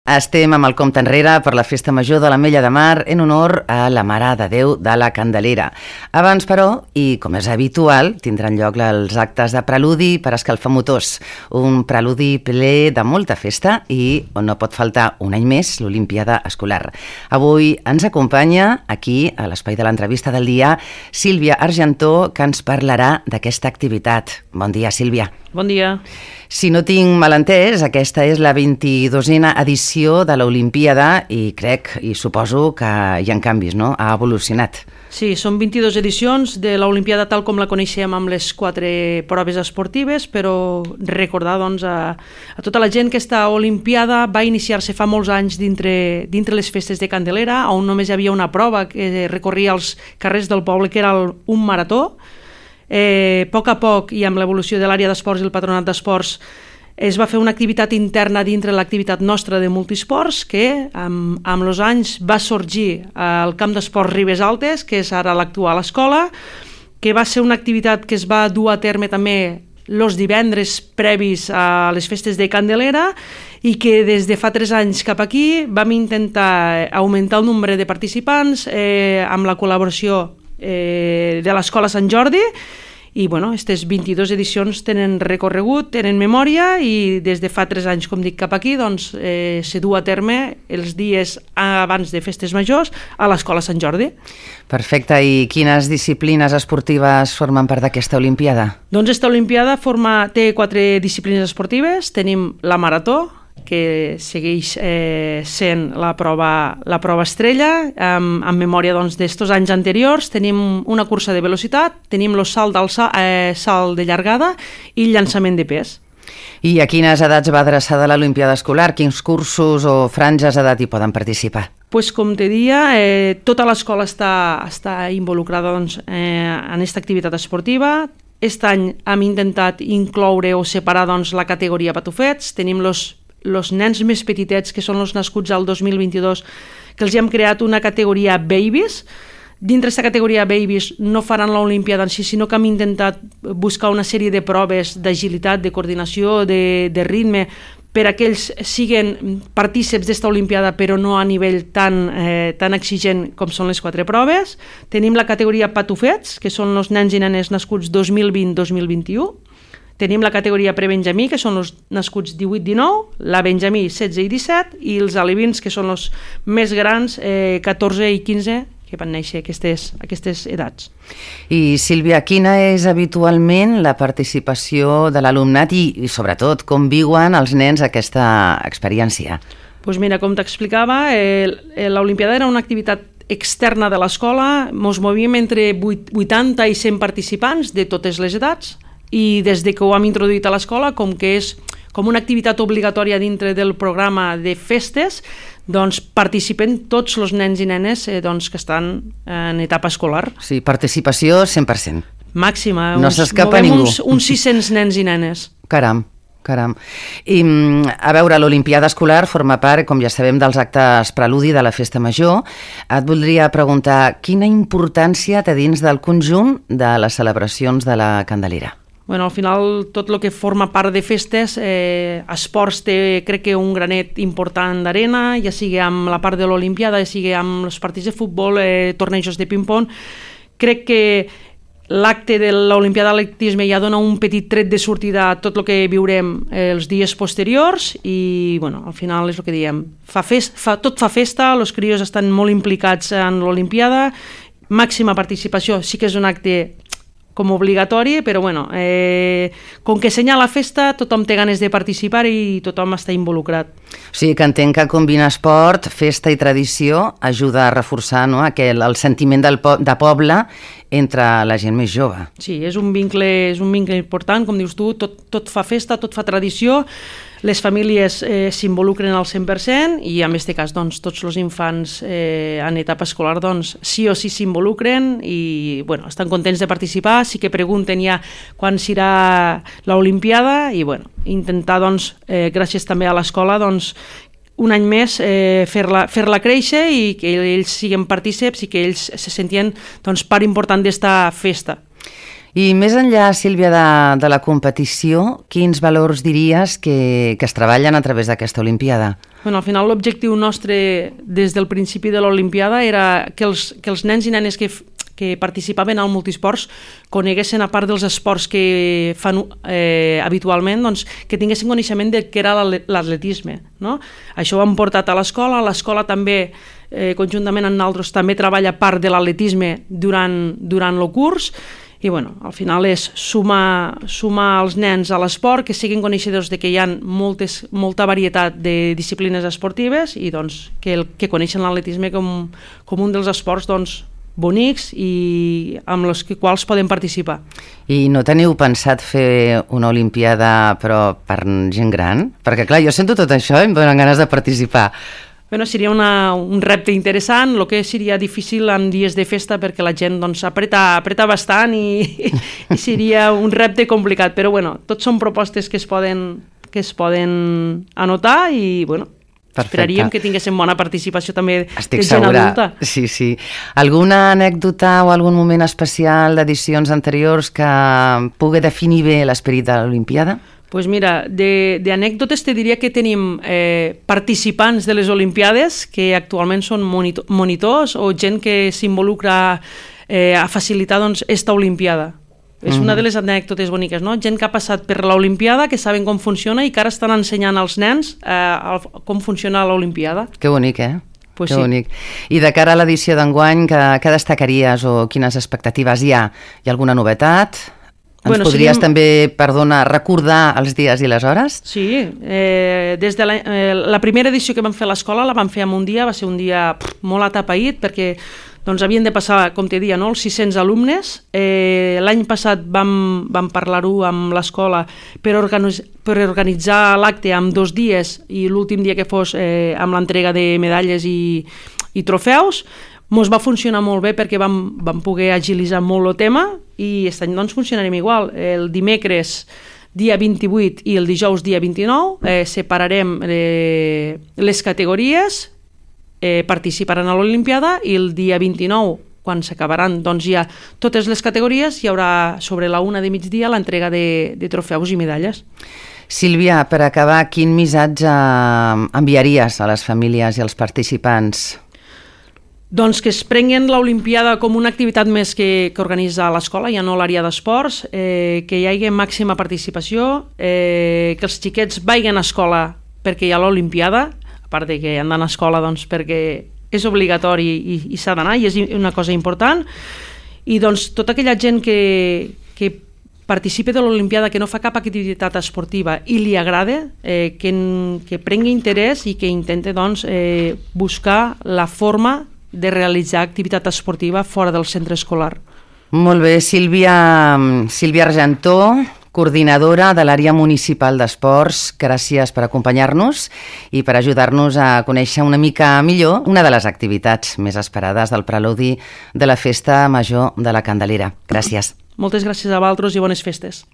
Estem amb el compte enrere per la Festa Major de l'Ametlla de Mar en honor a la Mare de Déu de la Candelera. Abans, però, i com és habitual, tindran lloc els actes de preludi per escalfar motors. Un preludi ple de molta festa i on no pot faltar un any més l'Olimpíada Escolar. Avui ens acompanya aquí, a l'espai de l'entrevista del dia, Sílvia Argentó, que ens parlarà d'aquesta activitat. Bon dia, Sílvia. Bon dia. Si no tinc mal entès, aquesta és la 22a edició de l'Olimpíada i crec i suposo que hi ha canvis, no? Ha evolucionat. Sí, són 22 edicions de l'Olimpíada tal com la coneixem amb les 4 proves esportives, però recordar doncs, a tota la gent que aquesta Olimpiada va iniciar-se fa molts anys dintre les festes de Candelera, on només hi havia una prova que recorria els carrers del poble, que era un marató. A poc i amb l'evolució de l'àrea d'esports i el patronat d'esports es va fer una activitat interna dintre l'activitat nostra de multisports que amb els anys va sorgir al camp d'esports Ribes Altes, que és ara l'actual escola, que va ser una activitat que es va dur a terme també els divendres previs a les festes de Candelera i que des de fa 3 anys cap aquí vam intentar augmentar el nombre de participants amb la col·laboració de l'Escola Sant Jordi i aquestes 22 edicions tenen recorregut, tenen memòria i des de fa 3 anys, com dic, cap aquí se du a terme els dies abans de festes majors a l'Escola Sant Jordi. Perfecte, i quines disciplines esportives formen part d'aquesta Olimpiada? Doncs aquesta Olimpiada té 4 disciplines esportives. Tenim la marató, que segueix sent la prova estrella, amb memòria d'estos anys anteriors. Tenim una cursa de velocitat, tenim el salt de llargada i el llançament de pes. I a quines edats va adreçada l'Olimpiada Escolar? Quins cursos o franges d'edat hi poden participar? Com te deia, tota l'escola està involucrada en aquesta activitat esportiva. Aquest any hem intentat incloure o separar la categoria patufets. Tenim els nens més petitets, que són els nascuts al 2022, que els hem creat una categoria babies. Dintre d'aquesta categoria babies no faran l'Olimpiada en si, sinó que hem intentat buscar una sèrie de proves d'agilitat, de coordinació, de ritme, per a que ells siguin partíceps d'esta Olimpiada, però no a nivell tan exigent com són les 4 proves. Tenim la categoria patufets, que són els nens i nenes nascuts 2020-2021. Tenim la categoria prebenjamí, que són els nascuts 18-19, la benjamí 16 i 17, i els alevins, que són els més grans, 14 i 15, que van néixer aquestes edats. I Sílvia, quina és habitualment la participació de l'alumnat i sobretot, com viuen els nens aquesta experiència? Doncs mira, com t'explicava, l'Olimpiada era una activitat externa de l'escola. Ens movíem entre 80 i 100 participants de totes les edats, i des que ho hem introduït a l'escola, com que és com una activitat obligatòria dintre del programa de festes, participen tots els nens i nenes que estan en etapa escolar. Sí, participació 100%. Màxima. No s'escapa ningú. Uns 600 nens i nenes. Caram. I a veure, l'Olimpiada Escolar forma part, com ja sabem, dels actes preludi de la Festa Major. Et voldria preguntar quina importància té dins del conjunt de les celebracions de la Candelera? Al final, tot el que forma part de festes, esports té, crec que, un granet important d'arena, ja sigui amb la part de l'Olimpiada, ja sigui amb els partits de futbol, tornejos de ping-pong. Crec que l'acte de l'Olimpiada d'atletisme ja dona un petit tret de sortida a tot el que viurem els dies posteriors i, al final és el que diem. Tot fa festa, els crios estan molt implicats en l'Olimpiada, màxima participació, sí que és un acte com obligatori, però com que senya la festa, tothom té ganes de participar i tothom està involucrat. O sigui que entenc que combinar esport, festa i tradició ajuda a reforçar el sentiment de poble entre la gent més jove. Sí, és un vincle important, com dius tu, tot fa festa, tot fa tradició, les famílies s'involucren al 100% i en aquest cas tots els infants en etapa escolar sí o sí s'involucren i estan contents de participar, sí que pregunten ja quan serà l'Olimpiada i intentar gràcies també a l'escola un any més fer-la créixer i que ells siguin partíceps i que ells se sentien part important d'esta festa. I més enllà, Sílvia, de la competició, quins valors diries que es treballen a través d'aquesta Olimpiada? Bueno, al final l'objectiu nostre des del principi de l'Olimpiada era que els nens i nenes que participaven al multisports coneguessin, a part dels esports que fan habitualment, doncs, que tinguessin coneixement de què era l'atletisme, no? Això ho hem portat a l'escola també, conjuntament amb nosaltres, també treballa part de l'atletisme durant el curs, i bueno, al final és sumar els nens a l'esport, que siguin coneixedors de que hi ha molta varietat de disciplines esportives i doncs, que coneixen l'atletisme com un dels esports doncs, bonics i amb els quals poden participar. I no teniu pensat fer una olimpiada però per gent gran? Perquè clar, jo sento tot això i em donen ganes de participar. Bueno, seria un repte interessant, el que seria difícil en dies de festa perquè la gent doncs, apreta bastant i seria un repte complicat, però bueno, tots són propostes que es poden anotar i bueno, esperaríem que tinguéssim bona participació també de gent adulta. Sí, sí. Alguna anècdota o algun moment especial d'edicions anteriors que pugui definir bé l'esperit de l'Olimpiada? Doncs mira, d'anècdotes te diria que tenim participants de les Olimpiades que actualment són monitors o gent que s'involucra a facilitar doncs, esta Olimpiada. És una de les anècdotes boniques, no? Gent que ha passat per l'Olimpiada, que saben com funciona i que ara estan ensenyant als nens com funciona l'Olimpiada. Que bonic, Pues que sí. bonic. I de cara a l'edició d'enguany, què destacaries o quines expectatives hi ha? Hi ha alguna novetat? Ens podries també, recordar els dies i les hores? Sí, des de la primera edició que vam fer a l'escola la vam fer en un dia, va ser un dia molt atapeït perquè doncs, havien de passar, com te dia, no, els 600 alumnes. L'any passat vam parlar-ho amb l'escola per organitzar l'acte en 2 dies i l'últim dia que fos amb l'entrega de medalles i trofeus. Mos va funcionar molt bé perquè vam poder agilitzar molt el tema i aquest any doncs funcionarem igual. El dimecres dia 28 i el dijous dia 29 separarem les categories, participaran a l'Olimpiada i el dia 29, quan s'acabaran doncs ja totes les categories, hi haurà sobre la 1 de migdia l'entrega de trofeus i medalles. Sílvia, per acabar, quin missatge enviaries a les famílies i als participants? Doncs que es prenguin l'Olimpiada com una activitat més que organitza l'escola, ja no l'àrea d'esports, que hi hagi màxima participació, que els xiquets vagin a escola perquè hi ha l'Olimpiada, a part de que han d'anar a escola doncs, perquè és obligatori i s'ha d'anar i és una cosa important, i doncs tota aquella gent que participi de l'Olimpiada, que no fa cap activitat esportiva i li agrada, que prengui interès i que intente doncs, buscar la forma de realitzar activitat esportiva fora del centre escolar. Molt bé, Sílvia Argentó, coordinadora de l'àrea municipal d'esports, gràcies per acompanyar-nos i per ajudar-nos a conèixer una mica millor una de les activitats més esperades del preludi de la Festa Major de la Candelera. Gràcies. Moltes gràcies a vosaltres i bones festes.